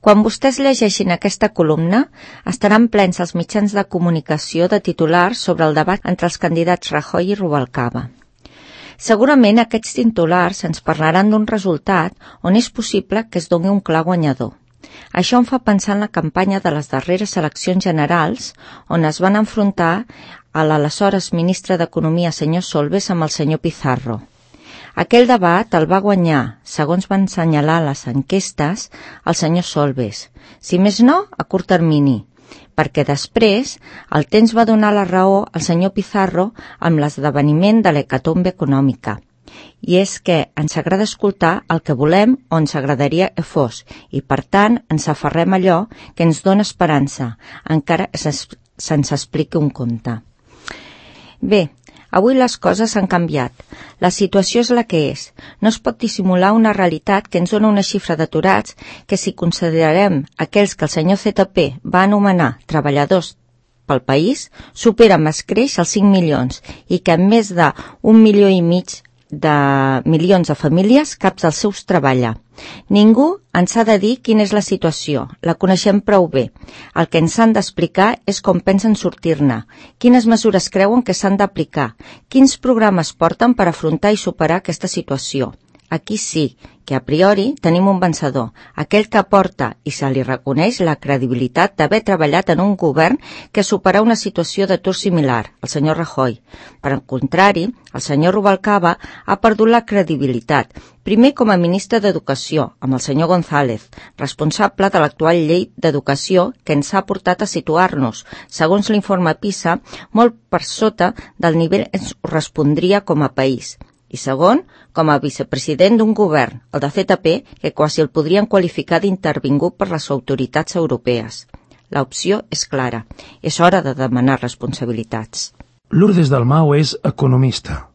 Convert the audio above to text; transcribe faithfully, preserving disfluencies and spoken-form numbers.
Quan vostès llegeixin aquesta columna, estaran plens els mitjans de comunicació de titulars sobre el debat entre els candidats Rajoy i Rubalcaba. Segurament aquests titulars ens parlaran d'un resultat on és possible que es doni un clar guanyador. Això em fa pensar en la campanya de les darreres eleccions generals, on es van enfrontar a l'aleshores ministre d'Economia, senyor Solbes, amb el senyor Pizarro. Aquell debat el va guanyar, segons van assenyalar les enquestes, el senyor Solbes, si més no, a curt termini, perquè després el temps va donar la raó al senyor Pizarro amb l'esdeveniment de l'hecatombe econòmica. I és que ens agrada escoltar el que volem o ens agradaria que fos, i per tant ens aferrem a allò que ens dona esperança, encara que se'ns expliqui un conte. Bé, avui les coses han canviat. La situació és la que és. No es pot dissimular una realitat que ens dona una xifra d'aturats que, si considerem aquells que el senyor Z P va anomenar treballadors pel país, supera amb escreix els cinc milions i que amb més d'un milió i mig de milions de famílies cap dels seus treballa. Ningú ens ha de dir quina és la situació, la coneixem prou bé. El que ens han d'explicar és com pensen sortir-ne, quines mesures creuen que s'han d'aplicar, quins programes porten per afrontar i superar aquesta situació. Aquí sí que a priori tenim un vencedor, aquell que aporta i se li reconeix la credibilitat d'haver treballat en un govern que superà una situació d'atur similar, el senyor Rajoy. Per al contrari, el senyor Rubalcaba ha perdut la credibilitat, primer com a ministre d'Educació, amb el senyor González, responsable de l'actual llei d'educació que ens ha portat a situar-nos, segons l'informe PISA, molt per sota del nivell que ens correspondria com a país. I segon, com a vicepresident d'un govern, el de Z P, que quasi el podrien qualificar d'intervingut per les autoritats europees. L'opció és clara. És hora de demanar responsabilitats. Lourdes Dalmau és economista.